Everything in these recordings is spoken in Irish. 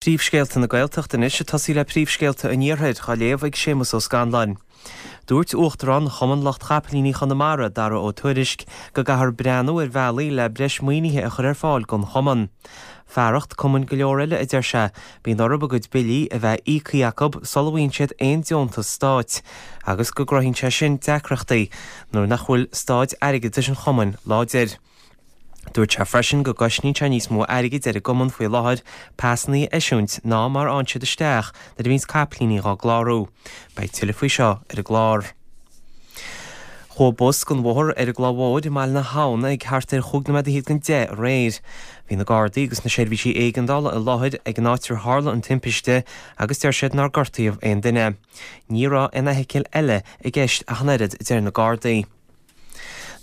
Príomhscéalta na Gaeltachta anois ag tosaí le príomhscéalta an Iarthair, á léamh ag Séamus Ó Scanláin. Dúirt Uachtarán Chumann Lucht Chapaillíní Chonamara, Dara Ó Tuairisg, go gcaithfear breathnú ar bhealaí le breis maoinithe a chur ar fáil don chumann. Fearacht cumainn go leor eile, a deir sé, bíonn orthu a gcuid billí a bheith íoctha acu sula bhfaigheann siad aon deontas stáit agus go gcruthaíonn sé sin deacrachtaí nuair nach bhfuil staid airgeadais an chumainn láidir. Dúirt sé freisin go gcosnaíonn sé níos mó airgid ar an gcumann faoi láthair pasanna a eisiúint ná mar a fhaigheann siad isteach nuair a bhíonns capaillíní dhá gclárú. Beidh tuilleadh faoi seo ar an gclár. Chuaigh bus den bhóthar ar an gCloich Mhóir i mBaile na hAbhann ag thart ar chúig nóiméad fhichead don 10 aréir. Bhí na Gardaí agus na seirbhísí éigeandála i láthair ag an áit ar tharla an timpiste agus deir siad nár gortaíodh aon duine. Ní raibh aon fheithicil eile i gceist ach an oiread, a deir na Gardaí.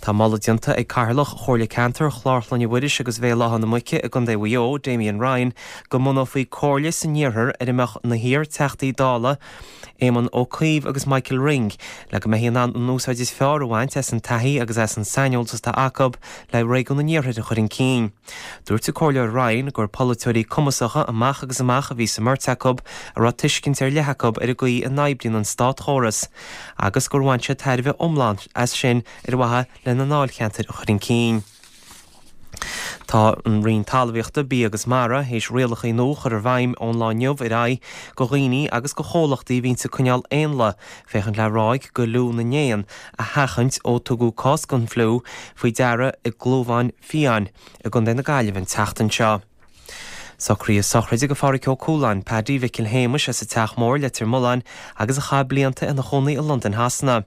Tá moladh déanta ag Cathaoirleach Chomhairle Ceantair Chlár Chlainne Mhuiris agus Bhéal Átha na Muice i gContae Mhaigh Eo, Damien Ryan, go mbunófaí comhairle san iarthar ar a mbeadh na hiar-Teachtaí Dála Éamon Ó Cuív agus Michael Ring le go mbeifí in ann an úsáid is fearr a bhaint as an taithí agus as an saineolas atá acu le réigiún an iarthair a chur chun cinn. Dúirt an Comhairleoir Ryan gur polaiteoirí cumasacha amach agus amach a bhí sa mbeirt acu a raibh tuiscint ar leith acu ar an gcaoi a n-oibríonn an státchóras. agus gur bhain siad tairbhe iomlán as sin ar mhaithe lena ndáilcheantair a chur chun cinn. Tá an Roinn Talmhaíochta, Bia agus Mara théis rialacha nua a chur i bhfeidhm ón lá inniu ar aghaidh go dhaoine agus go chomhlachtaí a bhíonns ag coinneáil éanlaith féachaint le ráig go fhliú na n-éan a sheachaint ó tugadh cás den fhliú faoi deara i gClúmhán Fiáin i gContae na Gaillimhe an tseachtain seo. Socraíodh sochraide go Phádhraic Ó Cualáin, Paddy Mhicil Shéamuis as an Teach Mór, Leitir Mealláin agus a chaith blianta ina chónaí i Londain Shasana.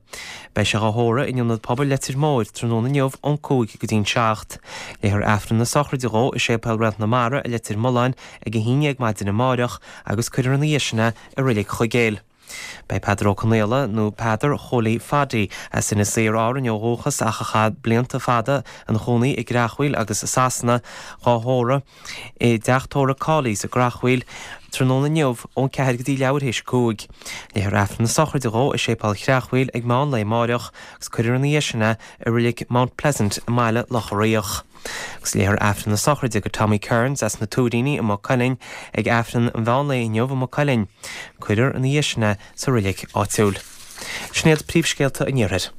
Beidh sé dhá thórramh in Ionad Pobail Leitir Móir tráthnóna inniu ón 5 go dtí'n 7. Léifear Aifreann na sochraide dhó i Séipéal Réalt na Mara i Leitir Mealláin ag 11 maidin amáireach agus cuirfear ina dhiaidh sin é i Reilig Chuigéil. Beidh Peadar Ó Conaola, nó Peadar Chóilí Phaddy, as Inis Oírr, Árainn ó dhúchas ach a chaith blianta fada ina chónaí i gCreachmhaoil agus i Sasana, dhá thórramh i dteach tórraimh Cawley's i gCreachmhaoil tráthnóna inniu ón 4 go dtí leathuair théis 5. Léifear Aifreann na sochraide dhó i Séipéal Chreachmhaoil ag meán lae amáireach agus cuirfear ina dhiaidh sin é i Reilig Mount Pleasant i mBaile Locha Riach. Agus léifear Aifreann na sochraide go Tommy Kearns as na Tuairíní i Maigh Cuilinn ag Aifreann an mheán lae inniu i Maigh Cuilinn. Cuirfear ina dhiaidh sin é sa reilig áitiúil. Sin iad príomhscéalta an Iarthair.